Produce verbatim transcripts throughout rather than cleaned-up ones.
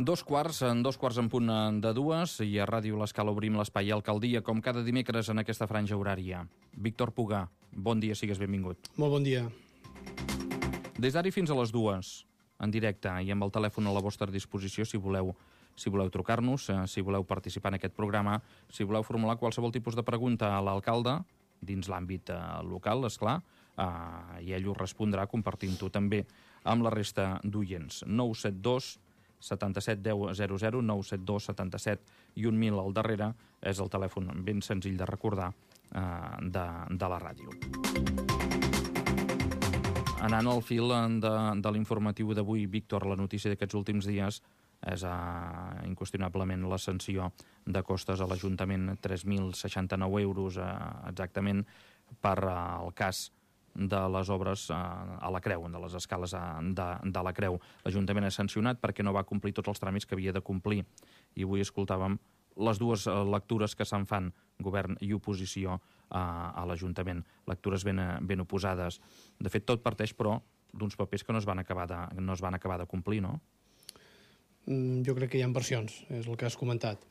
Dos quarts, en dos quarts en punt de dues, i a Ràdio L'Escala obrim l'espai Alcaldia, com cada dimecres en aquesta franja horària. Víctor Pugà, bon dia, sigues benvingut. Molt bon dia. Des d'ara fins a les dues, en directe, i amb el telèfon a la vostra disposició, si voleu, si voleu trucar-nos, si voleu participar en aquest programa, si voleu formular qualsevol tipus de pregunta a l'alcalde, dins l'àmbit local, esclar, eh, i ell us respondrà compartint-ho també amb la resta d'oients. nou set dos setanta-set deu zero zero, nou set dos setanta-set i un mil al darrere és el telèfon ben senzill de recordar eh, de, de la ràdio. Anant al fil de, de l'informatiu d'avui, Víctor, la notícia d'aquests últims dies és eh, inqüestionablement la sanció de costes a l'Ajuntament, tres mil seixanta-nou euros eh, exactament, per eh, el cas de les obres eh, a la Creu, de les escales eh, de, de la Creu. L'Ajuntament és sancionat perquè no va complir tots els tràmits que havia de complir. I avui escoltàvem les dues eh, lectures que se'n fan, govern i oposició, eh, a l'Ajuntament. Lectures ben, ben oposades. De fet, tot parteix, però, d'uns papers que no es van acabar de, no es van acabar de complir, no? Jo crec que hi ha versions, és el que has comentat.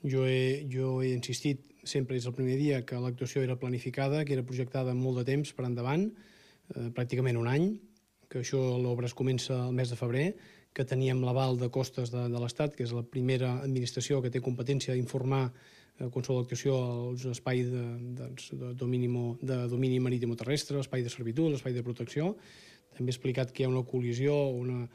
Jo he, jo he insistit sempre des del primer dia que l'actuació era planificada, que era projectada amb molt de temps per endavant, eh, pràcticament un any, que això l'obra es comença el mes de febrer, que teníem l'aval de costes de, de l'Estat, que és la primera administració que té competència d'informar eh, qualsevol actuació als espais de, de, de, domini, de domini marítim-terrestre, l'espai de servitud, l'espai de protecció. També he explicat que hi ha una col·lisió, una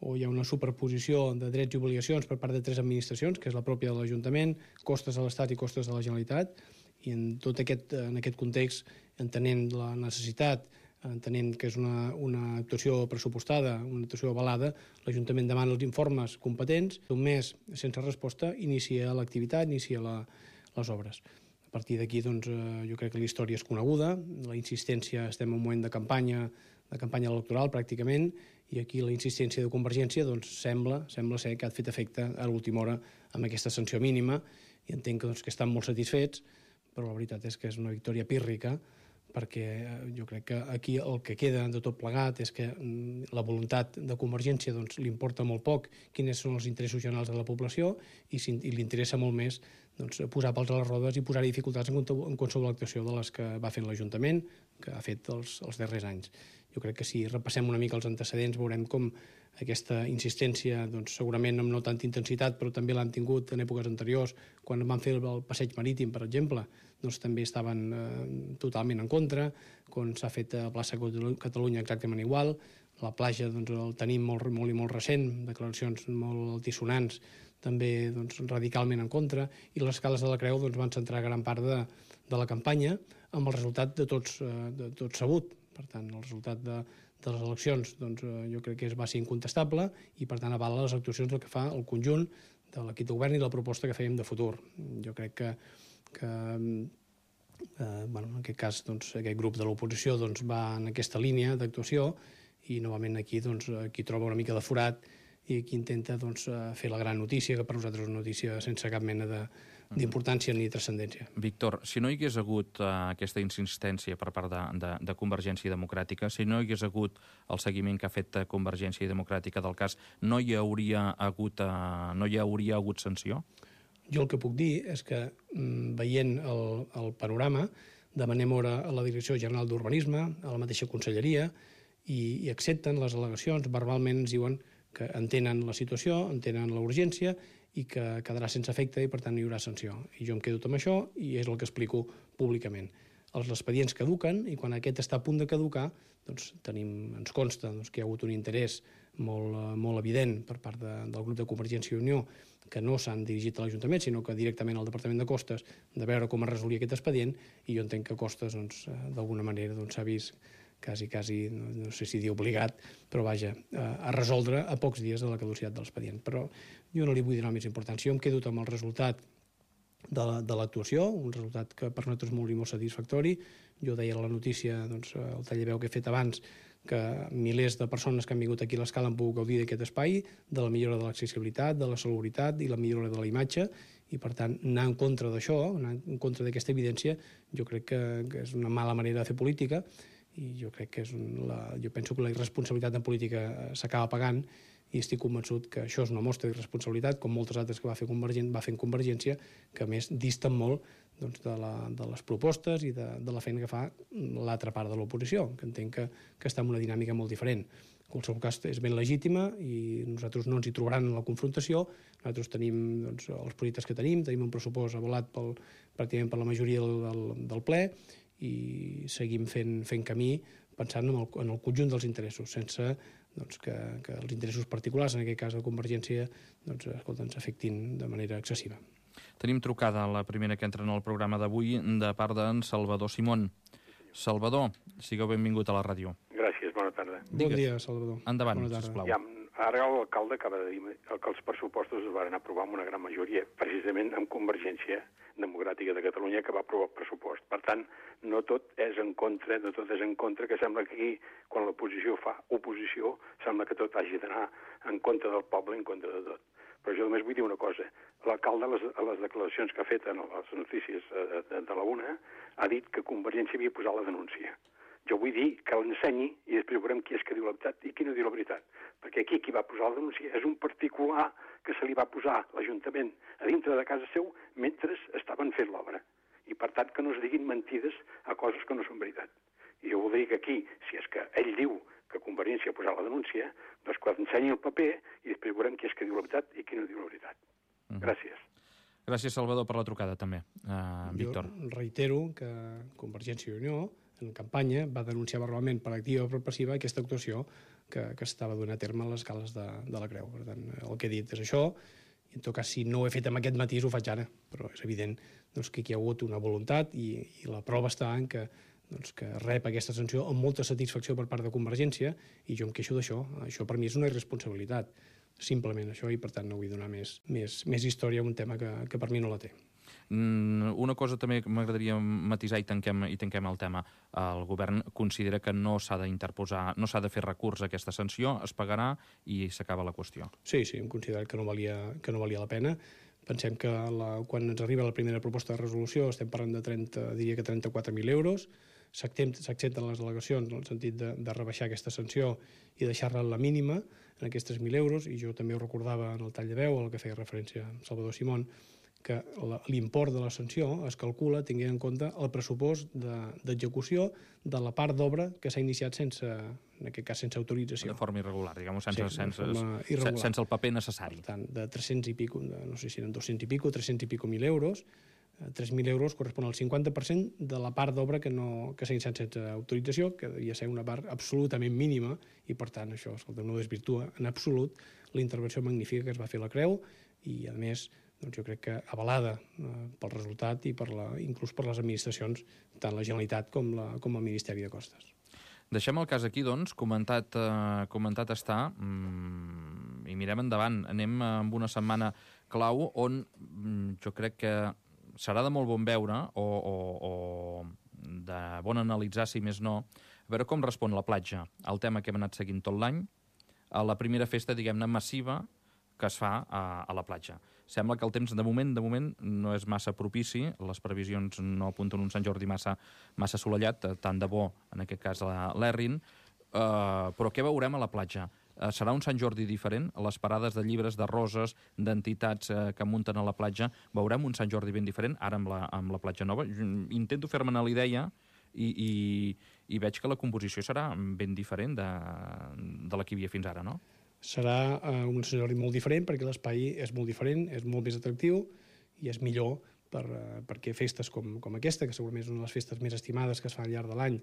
o hi ha una superposició de drets i obligacions per part de tres administracions, que és la pròpia de l'Ajuntament, costes de l'Estat i costes de la Generalitat, i en tot aquest, en aquest context, entenent la necessitat, entenent que és una, una actuació pressupostada, una actuació avalada, l'Ajuntament demana els informes competents, un mes sense resposta, inicia l'activitat, inicia la, les obres. A partir d'aquí, doncs, jo crec que la història és coneguda, la insistència, estem en un moment de campanya, de campanya electoral pràcticament, i aquí la insistència de Convergència doncs, sembla, sembla ser que ha fet efecte a l'última hora amb aquesta sanció mínima, i entenc que, doncs, que estan molt satisfets, però la veritat és que és una victòria pírrica, perquè jo crec que aquí el que queda de tot plegat és que la voluntat de Convergència doncs, li importa molt poc quins són els interessos generals de la població i, si, i li interessa molt més doncs, posar pals a les rodes i posar dificultats en, en qualsevol actuació de les que va fent l'Ajuntament, que ha fet els, els darrers anys. Jo crec que si repassem una mica els antecedents veurem com aquesta insistència, doncs, segurament amb no tanta intensitat, però també l'han tingut en èpoques anteriors, quan van fer el passeig marítim, per exemple, doncs també estaven eh, totalment en contra, quan s'ha fet a plaça Catalunya exactament igual, la platja doncs, el tenim molt, molt i molt recent, declaracions molt altisonants, també doncs, radicalment en contra, i les escales de la Creu doncs, van centrar gran part de, de la campanya amb el resultat de tots, de tots sabut. Per tant, el resultat de, de les eleccions doncs, jo crec que va ser incontestable i, per tant, avala les actuacions del que fa el conjunt de l'equip de govern i la proposta que fèiem de futur. Jo crec que, que eh, bueno, en aquest cas, doncs, aquest grup de l'oposició doncs, va en aquesta línia d'actuació i, novament, aquí doncs, aquí troba una mica de forat i aquí intenta doncs, fer la gran notícia, que per nosaltres és una notícia sense cap mena d'importància ni transcendència. Víctor, si no hi hagués hagut uh, aquesta insistència per part de, de, de Convergència Democràtica, si no hi hagués hagut el seguiment que ha fet Convergència Democràtica del cas, no hi hauria hagut, uh, no hi hauria hagut sanció? Jo el que puc dir és que, mm, veient el, el panorama, demanem hora a la Direcció General d'Urbanisme, a la mateixa Conselleria, i, i accepten les al·legacions, verbalment ens diuen que entenen la situació, entenen la urgència i que quedarà sense efecte i, per tant, no hi haurà sanció. I jo em quedo amb això i és el que explico públicament. Els expedients caduquen i quan aquest està a punt de caducar, doncs, tenim, ens consta doncs, que hi ha hagut un interès molt, molt evident per part de, del grup de Convergència i Unió que no s'han dirigit a l'Ajuntament, sinó que directament al Departament de Costes, de veure com es resolia aquest expedient, i jo entenc que Costes, doncs, d'alguna manera, doncs, s'ha vist quasi, quasi, no, no sé si dir obligat, però vaja, a resoldre a pocs dies de la caducitat de l'expedient. Però jo no li vull donar més importància. Jo em quedo amb el resultat de l'actuació, un resultat que per nosaltres és molt i molt satisfactori. Jo deia a la notícia, doncs, el tallaveu que he fet abans, que milers de persones que han vingut aquí a l'Escala han pogut gaudir d'aquest espai, de la millora de l'accessibilitat, de la salubritat i la millora de la imatge, i per tant anar en contra d'això, anar en contra d'aquesta evidència, jo crec que, que és una mala manera de fer política, i jo crec que és un, la, jo penso que la irresponsabilitat en política s'acaba pagant i estic convençut que això és una mostra d'irresponsabilitat, com moltes altres que va fer Convergent, va fer en Convergència, que a més disten molt doncs, de, la, de les propostes i de, de la feina que fa l'altra part de l'oposició, que entenc que, que està en una dinàmica molt diferent. En qualsevol cas, és ben legítima i nosaltres no ens hi trobaran en la confrontació. Nosaltres tenim doncs, els projectes que tenim, tenim un pressupost avalat pel, pràcticament per la majoria del, del, del ple i seguim fent, fent camí pensant en el, en el conjunt dels interessos, sense doncs, que, que els interessos particulars, en aquest cas de Convergència, doncs, escolta, ens afectin de manera excessiva. Tenim trucada la primera que entra en el programa d'avui de part d'en Salvador Simón. Salvador, sigueu benvingut a la ràdio. Gràcies, bona tarda. Bon Digues. dia, Salvador. Endavant, sisplau. Ja, ara l'alcalde acaba de dir que els pressupostos es van aprovar amb una gran majoria, precisament amb Convergència Democràtica de Catalunya, que va aprovar el pressupost. Per tant, no tot és en contra, no tot és en contra, que sembla que aquí, quan l'oposició fa oposició, sembla que tot hagi d'anar en contra del poble, en contra de tot. Però jo només vull dir una cosa. L'alcalde, a les, a les declaracions que ha fet en les notícies de, de, de la UNA, ha dit que Convergència havia posat la denúncia. Jo vull dir que l'ensenyi i després veurem qui és que diu la veritat i qui no diu la veritat. Perquè aquí qui va posar la denúncia és un particular que se li va posar l'Ajuntament a dintre de casa seu mentre estaven fent l'obra. I per tant que no es diguin mentides a coses que no són veritat. I jo voldria que aquí, si és que ell diu que Convergència ha posat la denúncia, doncs que ensenyi el paper i després veurem qui és que diu la veritat i qui no diu la veritat. Mm. Gràcies. Gràcies, Salvador, per la trucada, també. Uh, Víctor. Jo reitero que Convergència i Unió, en campanya, va denunciar verbalment per activa o per passiva aquesta actuació que, que estava donant a terme a les escales de, de la Creu. Per tant, el que he dit és això, i en tot cas, si no ho he fet amb aquest matís, ho faig ara, però és evident doncs, que aquí hi ha hagut una voluntat i, i la prova està en que doncs, que rep aquesta sanció amb molta satisfacció per part de Convergència i jo em queixo d'això. Això per mi és una irresponsabilitat, simplement això, i per tant no vull donar més, més, més història a un tema que, que per mi no la té. Mm, una cosa també que m'agradaria matisar i tanquem, i tanquem el tema. El govern considera que no s'ha d'interposar, no s'ha de fer recurs a aquesta sanció, es pagarà i s'acaba la qüestió. Sí, sí, hem considerat que no valia, que no valia la pena. Pensem que la, quan ens arriba la primera proposta de resolució estem parlant de trenta, diria que trenta-quatre mil euros. S'accepten les al·legacions en el sentit de, de rebaixar aquesta sanció i deixar-la la mínima en aquests tres mil euros, i jo també ho recordava en el tall de veu, al que feia referència Salvador Simón, que l'import de la sanció es calcula tenint en compte el pressupost d'execució de, de la part d'obra que s'ha iniciat sense, en aquest cas, sense autorització. De forma irregular, diguem-ho, sense, sí, sense, irregular. sense el paper necessari. Per tant, de tres-cents i pico, de, no sé si eren dos-cents i pico, tres-cents i pico mil euros, tres mil euros correspon al cinquanta per cent de la part d'obra que, no, que s'ha iniciat sense autorització, que devia ser una part absolutament mínima, i per tant això, escolta, no desvirtua en absolut la intervenció magnífica que es va fer a la Creu, i a més doncs jo crec que avalada eh, pel resultat i per la, inclús per les administracions, tant la Generalitat com, la, com el Ministeri de Costes. Deixem el cas aquí, doncs, comentat, eh, comentat està, mm, i mirem endavant. Anem amb una setmana clau on mm, jo crec que serà de molt bon veure o, o, o de bon analitzar, si més no, a veure com respon la platja al tema que hem anat seguint tot l'any, a la primera festa, diguem-ne, massiva que es fa a, a la platja. Sembla que el temps, de moment, de moment no és massa propici, les previsions no apunten un Sant Jordi massa, massa assolellat, tant de bo, en aquest cas, l'Errin, uh, però què veurem a la platja? Uh, serà un Sant Jordi diferent? A les parades de llibres, de roses, d'entitats uh, que munten a la platja, veurem un Sant Jordi ben diferent, ara amb la, amb la platja nova? Intento fer-me'n a la idea i, i, i veig que la composició serà ben diferent de, de la que hi havia fins ara, no? Serà uh, un escenari molt diferent perquè l'espai és molt diferent, és molt més atractiu i és millor per, uh, perquè festes com, com aquesta, que segurament és una de les festes més estimades que es fa al llarg de l'any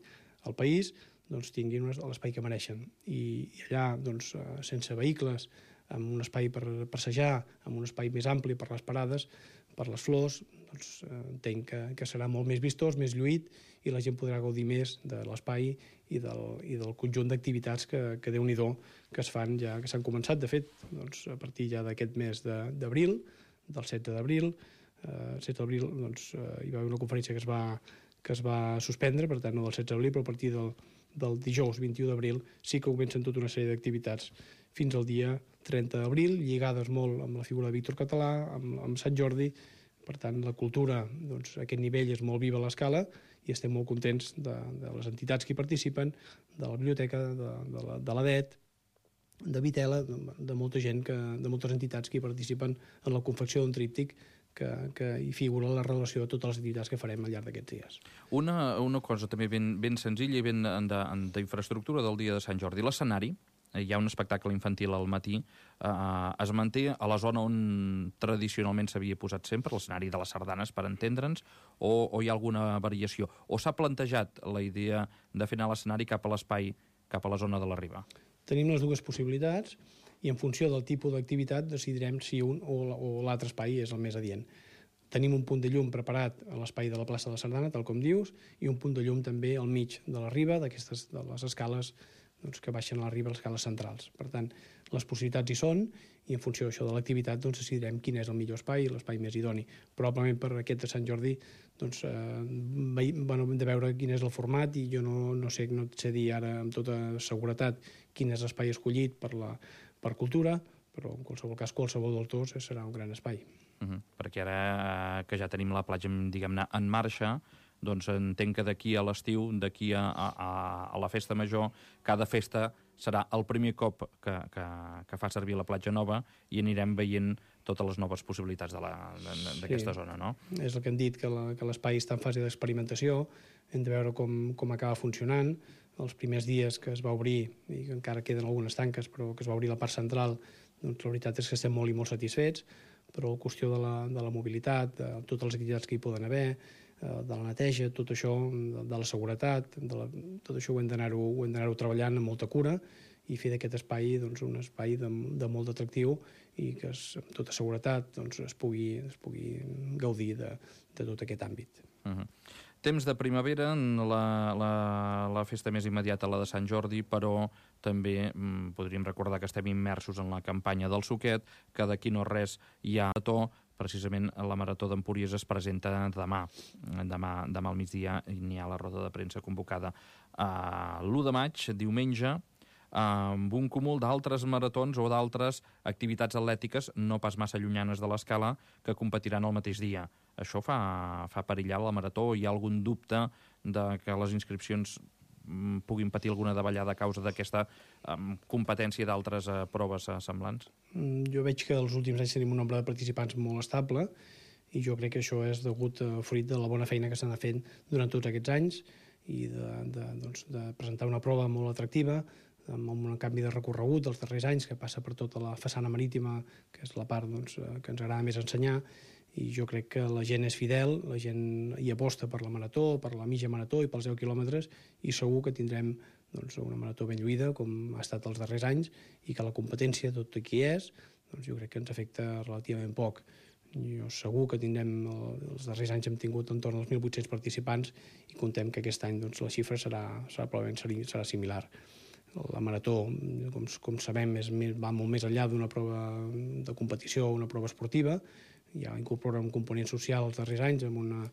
al país, doncs tinguin l'espai que mereixen. I, i allà, doncs, uh, sense vehicles, amb un espai per passejar, amb un espai més ampli per les parades, per les flors, doncs uh, entenc que, que serà molt més vistós, més lluït, i la gent podrà gaudir més de l'espai i del, i del conjunt d'activitats que, que Déu-n'hi-do que es fan ja, que s'han començat, de fet, doncs, a partir ja d'aquest mes d'abril, de, del setze d'abril, eh, setze d'abril doncs, eh, hi va haver una conferència que es va, que es va suspendre, per tant no del setze d'abril, però a partir del, del dijous vint-i-u d'abril sí que comencen tota una sèrie d'activitats fins al dia trenta d'abril, lligades molt amb la figura de Víctor Català, amb, amb Sant Jordi. Per tant, la cultura, doncs, a aquest nivell és molt viva a l'escala i estem molt contents de, de les entitats que hi participen, de la biblioteca, de, de la, de l'A D E T de Vitela, de molta gent, que, de moltes entitats que hi participen en la confecció d'un tríptic que, que hi figura la relació de totes les activitats que farem al llarg d'aquests dies. Una, una cosa també ben, ben senzilla i ben d'infraestructura del dia de Sant Jordi. L'escenari, hi ha un espectacle infantil al matí, eh, es manté a la zona on tradicionalment s'havia posat sempre, l'escenari de les sardanes, per entendre'ns, o, o hi ha alguna variació? O s'ha plantejat la idea de fer anar l'escenari cap a l'espai, cap a la zona de la Riba? Tenim les dues possibilitats i en funció del tipus d'activitat decidirem si un o l'altre espai és el més adient. Tenim un punt de llum preparat a l'espai de la plaça de la Sardana, tal com dius, i un punt de llum també al mig de la Riba, d'aquestes de les escales doncs, que baixen a la Riba, les escales centrals. Per tant, les possibilitats hi són i en funció d'això de l'activitat doncs, decidirem quin és el millor espai i l'espai més idoni. Probablement per aquest de Sant Jordi doncs, eh, bueno, hem de veure quin és el format i jo no, no sé, no et sé dir ara amb tota seguretat quin és l'espai escollit per, la, per cultura, però en qualsevol cas qualsevol dels dos serà un gran espai. Uh-huh. Perquè ara que ja tenim la platja, diguem-ne, en marxa, doncs entenc que d'aquí a l'estiu, d'aquí a, a, a la festa major, cada festa serà el primer cop que, que, que fa servir la platja nova i anirem veient totes les noves possibilitats d'aquesta sí. zona, no? És el que hem dit, que l'espai està en fase d'experimentació, hem de veure com, com acaba funcionant. Els primers dies que es va obrir, i que encara queden algunes tanques, però que es va obrir la part central, doncs la veritat és que estem molt i molt satisfets, però la qüestió de la, de la mobilitat, de totes les activitats que hi poden haver, de la neteja, tot això, de la seguretat, de la, tot això ho hem d'anar-ho treballant amb molta cura i fer d'aquest espai doncs, un espai de, de molt atractiu i que es, amb tota seguretat doncs, es, pugui, es pugui gaudir de, de tot aquest àmbit. Uh-huh. Temps de primavera, la, la, la festa més immediata, la de Sant Jordi, però també mm, podríem recordar que estem immersos en la campanya del Suquet, que d'aquí no res hi ha to. Precisament la Marató d'Empúries es presenta demà. Demà, demà al migdia n'hi ha la roda de premsa convocada a l'u de maig, diumenge, amb un cúmul d'altres maratons o d'altres activitats atlètiques no pas massa llunyanes de l'escala que competiran el mateix dia. Això fa, fa perillar la Marató? Hi ha algun dubte de que les inscripcions puguin patir alguna davallada a causa d'aquesta um, competència d'altres uh, proves uh, semblants? Jo veig que els últims anys tenim un nombre de participants molt estable i jo crec que això és degut a fruit de la bona feina que s'ha anat fent durant tots aquests anys i de, de, doncs, de presentar una prova molt atractiva amb un canvi de recorregut dels darrers anys que passa per tota la façana marítima, que és la part doncs, que ens agrada més ensenyar, i jo crec que la gent és fidel, la gent hi aposta per la marató, per la mitja marató i pels deu quilòmetres, i segur que tindrem doncs, una marató ben lluïda, com ha estat els darrers anys, i que la competència, tot i qui és, doncs jo crec que ens afecta relativament poc. Jo segur que tindrem, els darrers anys hem tingut entorn als mil vuit-cents participants i contem que aquest any doncs, la xifra serà, serà, probablement serà similar. La marató, com, com sabem, és, va molt més enllà d'una prova de competició o una prova esportiva, ja incorpora un component social els darrers anys amb una,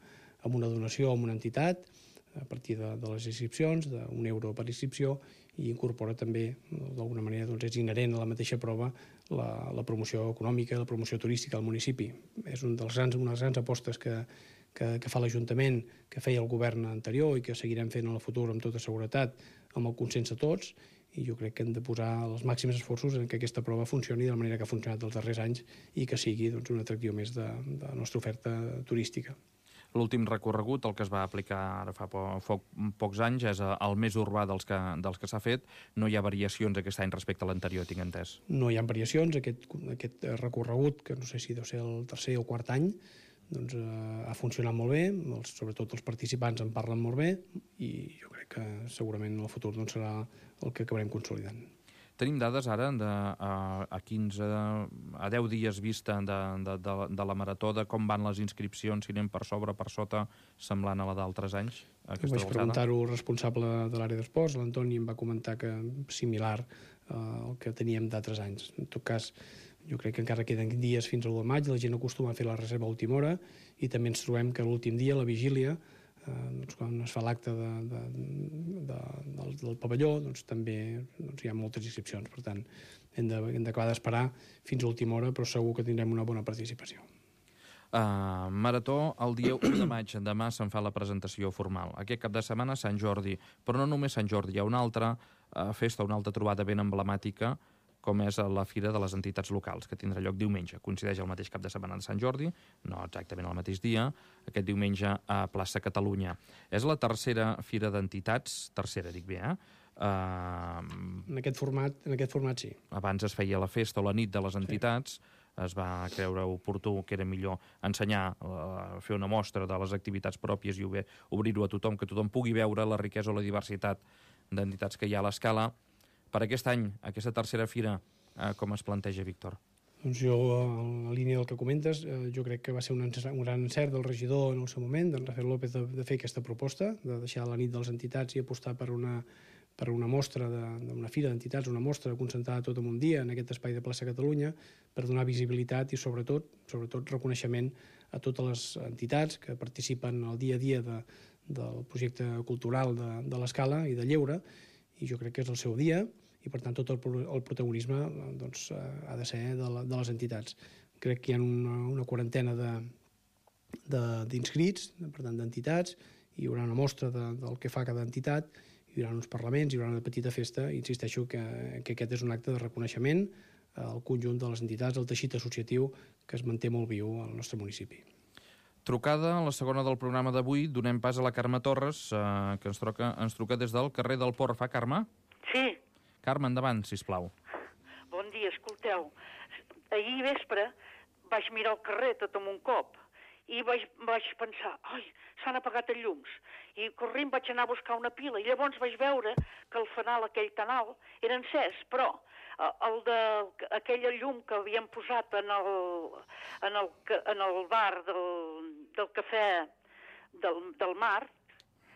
amb una donació a una entitat a partir de, de les inscripcions, d'un euro per inscripció, i incorpora també, d'alguna manera, doncs és inherent a la mateixa prova la, la promoció econòmica, la promoció turística al municipi. És un dels grans, una de les grans apostes que, que, que fa l'Ajuntament, que feia el govern anterior i que seguirem fent en el futur amb tota seguretat, amb el consens de tots, i jo crec que hem de posar els màxims esforços en que aquesta prova funcioni de la manera que ha funcionat els darrers anys i que sigui doncs, un atractiu més de, de la nostra oferta turística. L'últim recorregut, el que es va aplicar ara fa po po pocs anys, és el més urbà dels que, dels que s'ha fet. No hi ha variacions aquest any respecte a l'anterior, tinc entès. No hi ha variacions. Aquest, aquest recorregut, que no sé si deu ser el tercer o quart any, doncs, eh, ha funcionat molt bé, els, sobretot els participants en parlen molt bé i jo crec que segurament en el futur doncs, serà el que acabarem consolidant. Tenim dades ara de, a, a quinze, a deu dies vista de, de, de, de la marató, de com van les inscripcions, si anem per sobre, per sota, semblant a la d'altres anys? Vaig preguntar-ho al responsable de l'àrea d'esports, l'Antoni, em va comentar que similar eh, al que teníem d'altres anys. En tot cas, jo crec que encara queden dies fins al l'u de maig, la gent acostuma a fer la reserva a última hora i també ens trobem que l'últim dia, la vigília, eh, doncs quan es fa l'acte de, de, de, del, del pavelló, doncs també doncs hi ha moltes inscripcions. Per tant, hem d'acabar d'esperar fins a última hora, però segur que tindrem una bona participació. Uh, marató, el dia u de maig, demà se'n fa la presentació formal. Aquest cap de setmana Sant Jordi, però no només Sant Jordi, hi ha una altra uh, festa, una altra trobada ben emblemàtica, com és la Fira de les Entitats Locals, que tindrà lloc diumenge. Coincideix el mateix cap de setmana de Sant Jordi, no exactament el mateix dia, aquest diumenge a Plaça Catalunya. És la tercera Fira d'Entitats, tercera dic bé, eh? Uh, en, aquest format, en aquest format sí. Abans es feia la festa o la nit de les entitats, sí. Es va creure oportú que era millor ensenyar, uh, fer una mostra de les activitats pròpies i obrir-ho a tothom, que tothom pugui veure la riquesa o la diversitat d'entitats que hi ha a l'Escala. Per aquest any, aquesta tercera fira, uh, com es planteja, Víctor? Doncs jo, en la línia del que comentes, eh, jo crec que va ser un, un gran encert del regidor en el seu moment, d'en Rafael López, de, de fer aquesta proposta, de deixar la nit de les entitats i apostar per una per una mostra d'una fira d'entitats, una mostra concentrada tot en un dia en aquest espai de Plaça Catalunya, per donar visibilitat i sobretot sobretot reconeixement a totes les entitats que participen al dia a dia de, del projecte cultural de, de l'Escala i de Lleure, i jo crec que és el seu dia, i per tant tot el, el protagonisme doncs, ha de ser de, la, de les entitats. Crec que hi ha una, una quarantena d'inscrits, per tant d'entitats, hi haurà una mostra de, del que fa cada entitat, hi haurà uns parlaments, hi haurà una petita festa, i insisteixo que, que aquest és un acte de reconeixement al conjunt de les entitats, al teixit associatiu que es manté molt viu al nostre municipi. Trucada, la segona del programa d'avui, donem pas a la Carme Torres, eh, que ens truca, ens truca des del carrer del Port. Fa, Carme? Sí. Carme, endavant, sisplau. Bon dia, escolteu. Ahir vespre vaig mirar el carrer tot amb un cop i vaig, vaig pensar, ai, s'han apagat els llums. I corrent vaig anar a buscar una pila i llavors vaig veure que el fanal aquell tan alt era encès, però el de, aquella llum que havien posat en el, en el, en el bar del, del cafè del, del mar,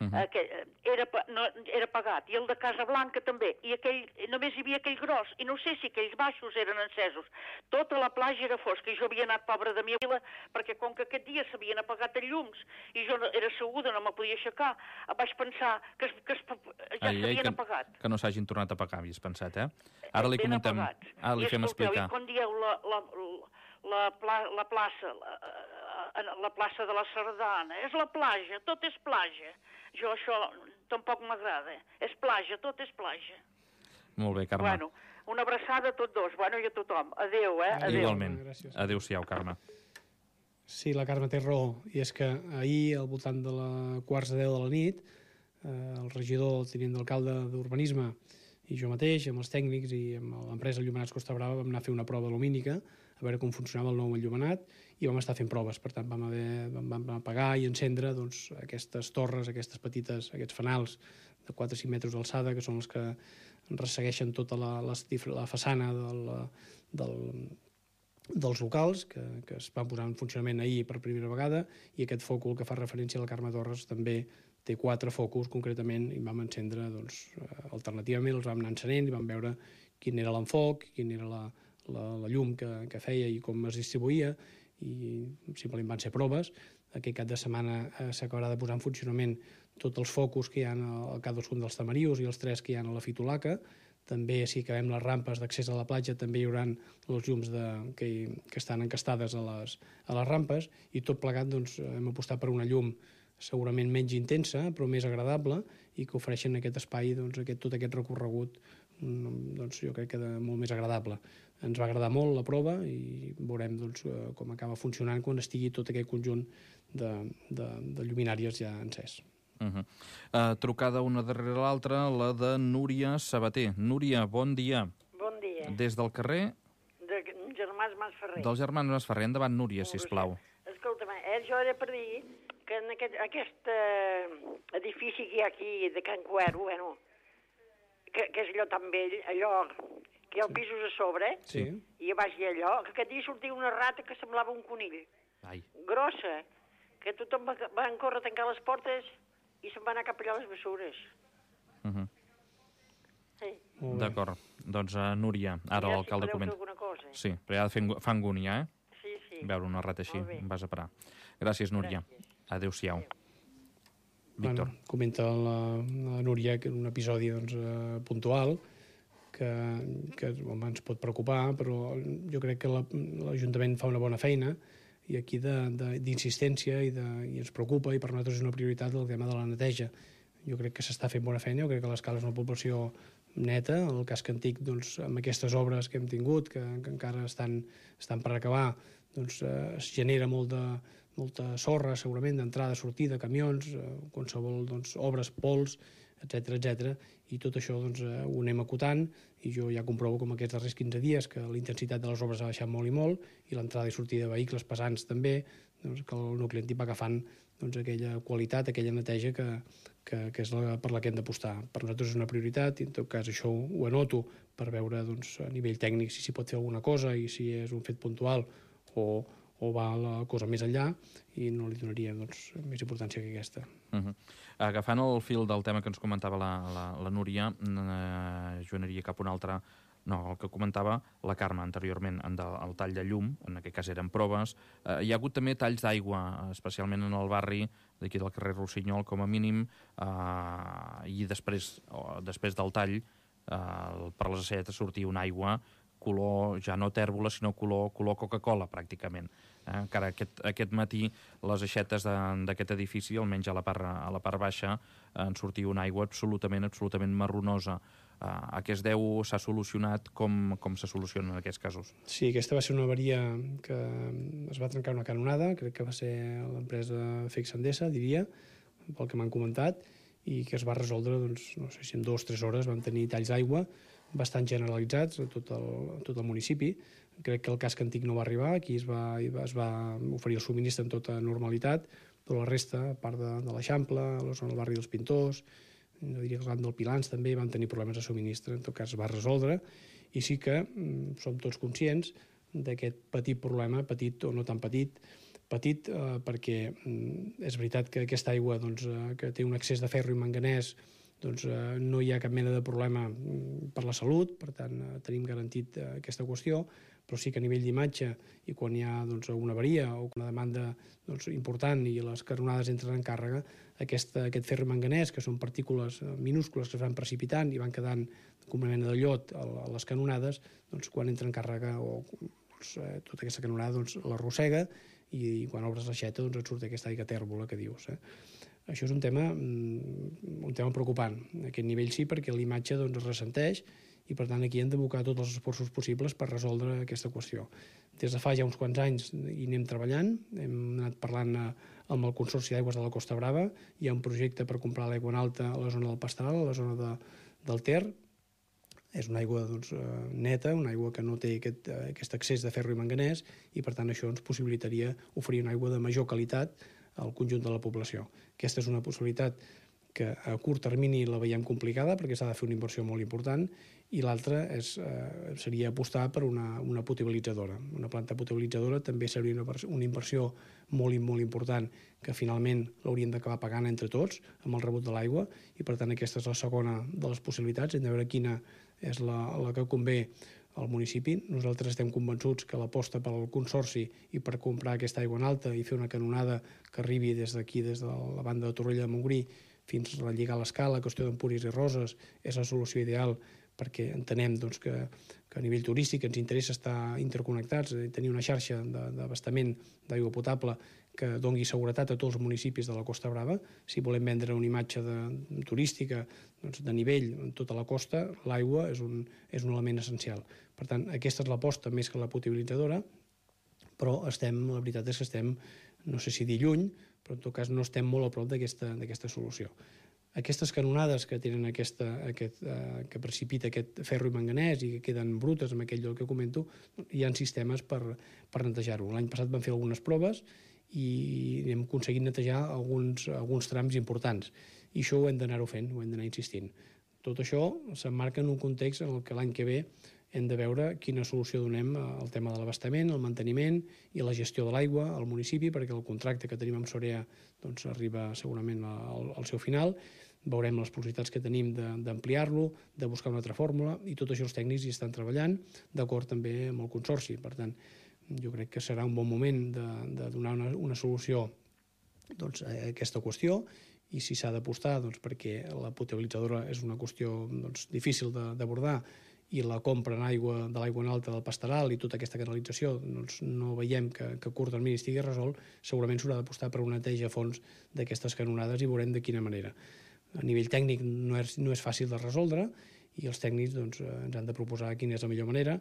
uh-huh. aquell, era, no, era apagat, i el de Casa Blanca també, i aquell, només hi havia aquell gros, i no sé si aquells baixos eren encesos. Tota la platja era fosca, i jo havia anat pobra de mi a Vila, perquè com que aquest dia s'havien apagat els llums, i jo era asseguda, no me podia aixecar, vaig pensar que, es, que es, ja s'havien apagat. Que no s'hagin tornat a apagar, havies pensat, eh? Ara li comentem, ara li fem explicar. I quan dieu la, la, la, la, la plaça, la, la plaça de la Sardana, és la platja, tot és platja. Jo això tampoc m'agrada. És platja, tot és platja. Molt bé, Carme. Bueno, una abraçada a tots dos, bueno, i a tothom. Adéu, eh? Adéu. Igualment. Adéu-siau, Carme. Sí, la Carme té raó, i és que ahir, al voltant de la quarts de deu de la nit, eh, el regidor, el tinent d'alcalde d'Urbanisme, i jo mateix, amb els tècnics i amb l'empresa Enllumenats Costa Brava, vam anar a fer una prova lumínica, a veure com funcionava el nou enllumenat, i vam estar fent proves. Per tant, vam, haver, vam, vam apagar i encendre doncs, aquestes torres, aquestes petites, aquests fanals de quatre o cinc metres d'alçada, que són els que ressegueixen tota la, la, la façana del, del, dels locals, que, que es van posar en funcionament ahir per primera vegada, i aquest fòcul que fa referència a la Carme Torres també té quatre focus, concretament, i vam encendre, doncs, alternativament els vam anar encenent i vam veure quin era l'enfoc, quina era la, la, la llum que, que feia i com es distribuïa, i simplement van ser proves. Aquest cap de setmana eh, s'acabarà de posar en funcionament tots els focus que hi ha a cadascun dels tamarius i els tres que hi ha a la Fitolaca. També, si acabem les rampes d'accés a la platja, també hi haurà els llums de, que, que estan encastades a les, a les rampes, i tot plegat doncs, hem apostat per una llum segurament menys intensa, però més agradable, i que ofereixen aquest espai, doncs, aquest, tot aquest recorregut, doncs, jo crec que de, molt més agradable. Ens va agradar molt la prova i veurem doncs, com acaba funcionant quan estigui tot aquest conjunt de, de, de lluminàries ja encès. Uh-huh. uh, trucada una darrere l'altra, la de Núria Sabater. Núria, bon dia. Bon dia. Des del carrer? De Germans Masferrer. Dels Germans Masferrer. Endavant, Núria, sisplau. Escolta'm, eh, jo era per dir que en aquest, aquest eh, edifici que hi ha aquí de Can Cuero, bueno, que, que és allò tan vell, allò que hi ha pisos a sobre, sí. I a baix hi ha allò, que aquest dia sortia una rata que semblava un conill. Ai. Grossa, que tothom va, va córrer a tancar les portes i se'n va anar cap allà a les bessures. Uh-huh. Sí. D'acord. Doncs, uh, Núria, ara ja l'alcalde si comenta. alguna cosa. Sí, però ja fa, fa angúnia, eh? Sí, sí. Veure una rata així, em vas a parar. Gràcies, Núria. Gràcies. Adéu-siau. Víctor. Bueno, comenta la, la Núria que un episodi doncs, eh, puntual que, que home, ens pot preocupar, però jo crec que l'Ajuntament fa una bona feina, i aquí d'insistència, i, de, i ens preocupa, i per nosaltres és una prioritat el tema de la neteja. Jo crec que s'està fent bona feina, jo crec que l'Escala és una població neta. El casc antic, doncs, amb aquestes obres que hem tingut, que, que encara estan, estan per acabar, doncs, eh, es genera molt de, molta sorra, segurament, d'entrada, sortida, camions, eh, qualsevol doncs, obres, pols, etcètera, etcètera, i tot això doncs, eh, ho anem acotant, i jo ja comprovo com aquests darrers quinze dies que la intensitat de les obres ha baixat molt i molt, i l'entrada i sortida de vehicles pesants també, doncs, que el nucli antic va agafant doncs, aquella qualitat, aquella neteja que, que, que és la, per la que hem d'apostar. Per nosaltres és una prioritat i en tot cas això ho anoto per veure doncs, a nivell tècnic si s'hi pot fer alguna cosa i si és un fet puntual o, o va la cosa més enllà, i no li donaria doncs, més importància que aquesta. Uh -huh. Agafant el fil del tema que ens comentava la, la, la Núria, eh, jo aniria cap a un altre. No, el que comentava la Carme anteriorment, el tall de llum, en aquest cas eren proves. Eh, hi ha hagut també talls d'aigua, especialment en el barri d'aquí del carrer Rossinyol, com a mínim, eh, i després, o, després del tall, eh, per les acetes sortia una aigua color, ja no tèrbola, sinó color, color Coca-Cola, pràcticament. Eh, encara aquest, aquest matí les aixetes d'aquest edifici, almenys a la part, a la part baixa, eh, en sortia una aigua absolutament, absolutament marronosa. Uh, a què es deu, s'ha solucionat, com, com se soluciona en aquests casos? Sí, aquesta va ser una avaria que es va trencar una canonada, crec que va ser l'empresa Fex Endesa, diria, pel que m'han comentat, i que es va resoldre, doncs, no sé si en dues o tres hores van tenir talls d'aigua bastant generalitzats a tot el, a tot el municipi. Crec que el casc antic no va arribar, aquí es va, es va oferir el subministre en tota normalitat, però la resta, a part de, de l'Eixample, la zona del barri dels Pintors, no diria que el camp del Pilans també van tenir problemes de subministre, en tot cas es va resoldre, i sí que mm, som tots conscients d'aquest petit problema, petit o no tan petit, petit eh, perquè mm, és veritat que aquesta aigua doncs, eh, que té un excés de ferro i manganès, doncs eh, no hi ha cap mena de problema mm, per la salut, per tant eh, tenim garantit eh, aquesta qüestió, però sí que a nivell d'imatge i quan hi ha doncs, una avaria o una demanda doncs, important i les canonades entren en càrrega, aquesta, aquest ferro i manganès, que són partícules minúscules que es van precipitant i van quedant com una mena de llot a les canonades, doncs, quan entra en càrrega o doncs, eh, tota aquesta canonada doncs, l'arrossega i, i quan obres l'aixeta doncs, et surt aquesta aigua tèrbola que dius. Eh? Això és un tema, un tema preocupant. A aquest nivell sí, perquè l'imatge doncs, es ressenteix i per tant aquí hem d'abocar tots els esforços possibles per resoldre aquesta qüestió. Des de fa ja uns quants anys hi anem treballant, hem anat parlant amb el Consorci d'Aigües de la Costa Brava, hi ha un projecte per comprar l'aigua en alta a la zona del Pastoral, a la zona de, del Ter. És una aigua doncs, neta, una aigua que no té aquest, aquest excés de ferro i manganès i per tant això ens possibilitaria oferir una aigua de major qualitat al conjunt de la població. Aquesta és una possibilitat que a curt termini la veiem complicada perquè s'ha de fer una inversió molt important i l'altra és, eh, seria apostar per una, una potabilitzadora. Una planta potabilitzadora també seria una, una inversió molt, molt important que finalment l'hauríem d'acabar pagant entre tots amb el rebut de l'aigua i per tant aquesta és la segona de les possibilitats. Hem de veure quina és la, la que convé al municipi. Nosaltres estem convençuts que l'aposta pel consorci i per comprar aquesta aigua en alta i fer una canonada que arribi des d'aquí, des de la banda de Torroella de Montgrí, fins a relligar l'escala, qüestió d'Empúries i Roses, és la solució ideal perquè entenem doncs, que, que a nivell turístic ens interessa estar interconnectats, tenir una xarxa d'abastament d'aigua potable que dongui seguretat a tots els municipis de la Costa Brava. Si volem vendre una imatge de, turística doncs, de nivell en tota la costa, l'aigua és, un, és un element essencial. Per tant, aquesta és l'aposta més que la potabilitzadora, però estem, la veritat és que estem, no sé si dir lluny, però en tot cas no estem molt a prop d'aquesta solució. Aquestes canonades que tenen aquesta, aquest, eh, que precipita aquest ferro i manganès i que queden brutes amb aquell lloc que comento, hi ha sistemes per, per netejar-ho. L'any passat vam fer algunes proves i hem aconseguit netejar alguns, alguns trams importants. I això ho hem d'anar-ho fent, ho hem d'anar insistint. Tot això s'emmarca en un context en el que l'any que ve hem de veure quina solució donem al tema de l'abastament, el manteniment i la gestió de l'aigua al municipi, perquè el contracte que tenim amb Sorea doncs, arriba segurament al, al seu final. Veurem les possibilitats que tenim d'ampliar-lo, de, de buscar una altra fórmula, i tot això els tècnics hi estan treballant, d'acord també amb el consorci. Per tant, jo crec que serà un bon moment de, de donar una, una solució doncs, a aquesta qüestió, i si s'ha d'apostar doncs, perquè la potabilitzadora és una qüestió doncs, difícil d'abordar, i la compra en aigua, de l'aigua en alta del Pastoral i tota aquesta canalització doncs no veiem que, que a curt termini estigui resolt, segurament s'haurà d'apostar per una neteja a fons d'aquestes canonades i veurem de quina manera. a nivell tècnic no és, no és fàcil de resoldre i els tècnics doncs, ens han de proposar quina és la millor manera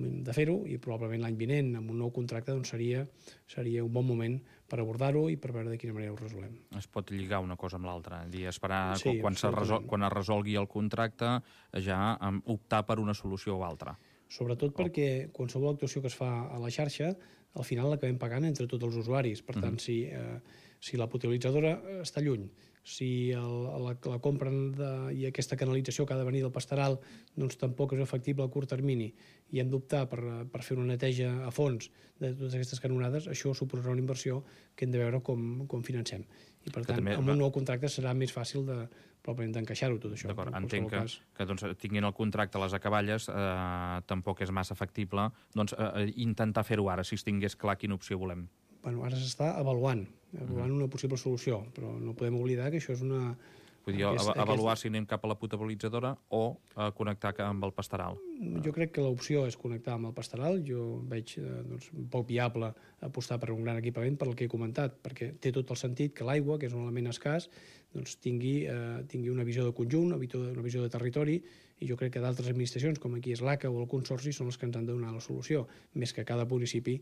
de fer-ho i probablement l'any vinent amb un nou contracte doncs, seria, seria un bon moment per abordar-ho i per veure de quina manera ho resolem. Es pot lligar una cosa amb l'altra, dir, esperar sí, quan, resol, quan es resolgui el contracte ja optar per una solució o altra. Sobretot perquè qualsevol actuació que es fa a la xarxa al final l'acabem pagant entre tots els usuaris. Per tant, mm-hmm. si, eh, si la potabilitzadora està lluny, si el, la, la compra de, i aquesta canalització que ha de venir del pastoral doncs, tampoc és efectible a curt termini i hem d'optar per, per fer una neteja a fons de totes aquestes canonades, això suposarà una inversió que hem de veure com, com financem. I per tant, també, amb un nou contracte serà més fàcil de, probablement d'encaixar-ho tot això. D'acord, entenc que, cas... que doncs, tinguin el contracte a les acaballes eh, tampoc és massa factible doncs, eh, intentar fer-ho ara, si es tingués clar quina opció volem. Bueno, ara s'està avaluant, avaluant una possible solució, però no podem oblidar que això és una... Vull dir, aquest, avaluar aquest... si anem cap a la potabilitzadora o a connectar amb el pastoral. Jo crec que l'opció és connectar amb el pastoral. Jo veig doncs, poc viable apostar per un gran equipament per el que he comentat, perquè té tot el sentit que l'aigua, que és un element escàs, doncs, tingui, eh, tingui una visió de conjunt, una visió de territori, i jo crec que d'altres administracions, com aquí és l'A C A o el Consorci, són les que ens han de donar la solució, més que cada municipi,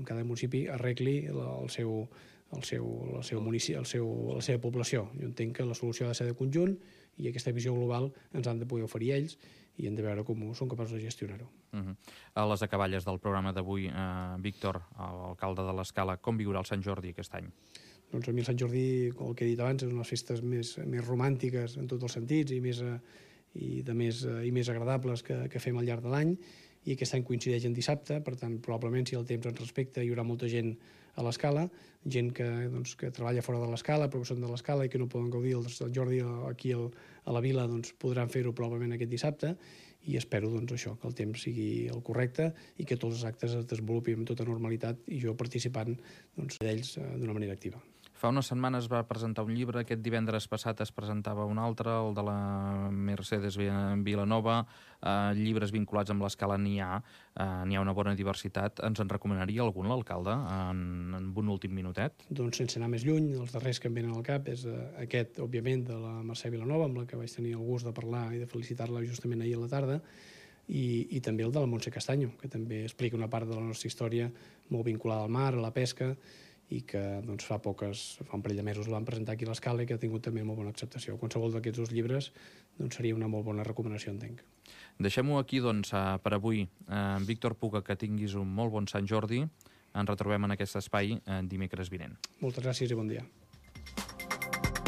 cada municipi arregli el seu, el seu, el seu municipi, el seu, la seva població. Jo entenc que la solució ha de ser de conjunt i aquesta visió global ens han de poder oferir ells i hem de veure com són capaços de gestionar-ho. Uh-huh. A les acaballes del programa d'avui, eh, Víctor, alcalde de l'Escala, com viurà el Sant Jordi aquest any? Doncs a mi el Sant Jordi, com el que he dit abans, és una de les festes més, més romàntiques en tots els sentits i més, i de més, i més agradables que, que fem al llarg de l'any, i aquest any coincideix en dissabte, per tant, probablement, si el temps ens respecta, hi haurà molta gent a l'Escala, gent que, doncs, que treballa fora de l'Escala, però que són de l'Escala i que no poden gaudir el Sant Jordi aquí al, a la vila, doncs podran fer-ho probablement aquest dissabte, i espero doncs, això, que el temps sigui el correcte i que tots els actes es desenvolupin amb tota normalitat i jo participant doncs, d'ells d'una manera activa. Fa unes setmanes va presentar un llibre, aquest divendres passat es presentava un altre, el de la Mercedes Vilanova, eh, llibres vinculats amb l'Escala n'hi ha, eh, n'hi ha una bona diversitat. Ens en recomanaria algun, l'alcalde, en, en un últim minutet? Doncs sense anar més lluny, els darrers que em venen al cap és eh, aquest, òbviament, de la Mercè Vilanova, amb la que vaig tenir el gust de parlar i de felicitar-la justament ahir a la tarda, i, i també el de la Montse Castanyo, que també explica una part de la nostra història molt vinculada al mar, a la pesca, i que doncs, fa poques, fa un parell de mesos el van presentar aquí a l'Escala i que ha tingut també molt bona acceptació. Qualsevol d'aquests dos llibres doncs, seria una molt bona recomanació, entenc. Deixem-ho aquí doncs, per avui. Eh, Víctor Puga, que tinguis un molt bon Sant Jordi. Ens retrobem en aquest espai eh, dimecres vinent. Moltes gràcies i bon dia.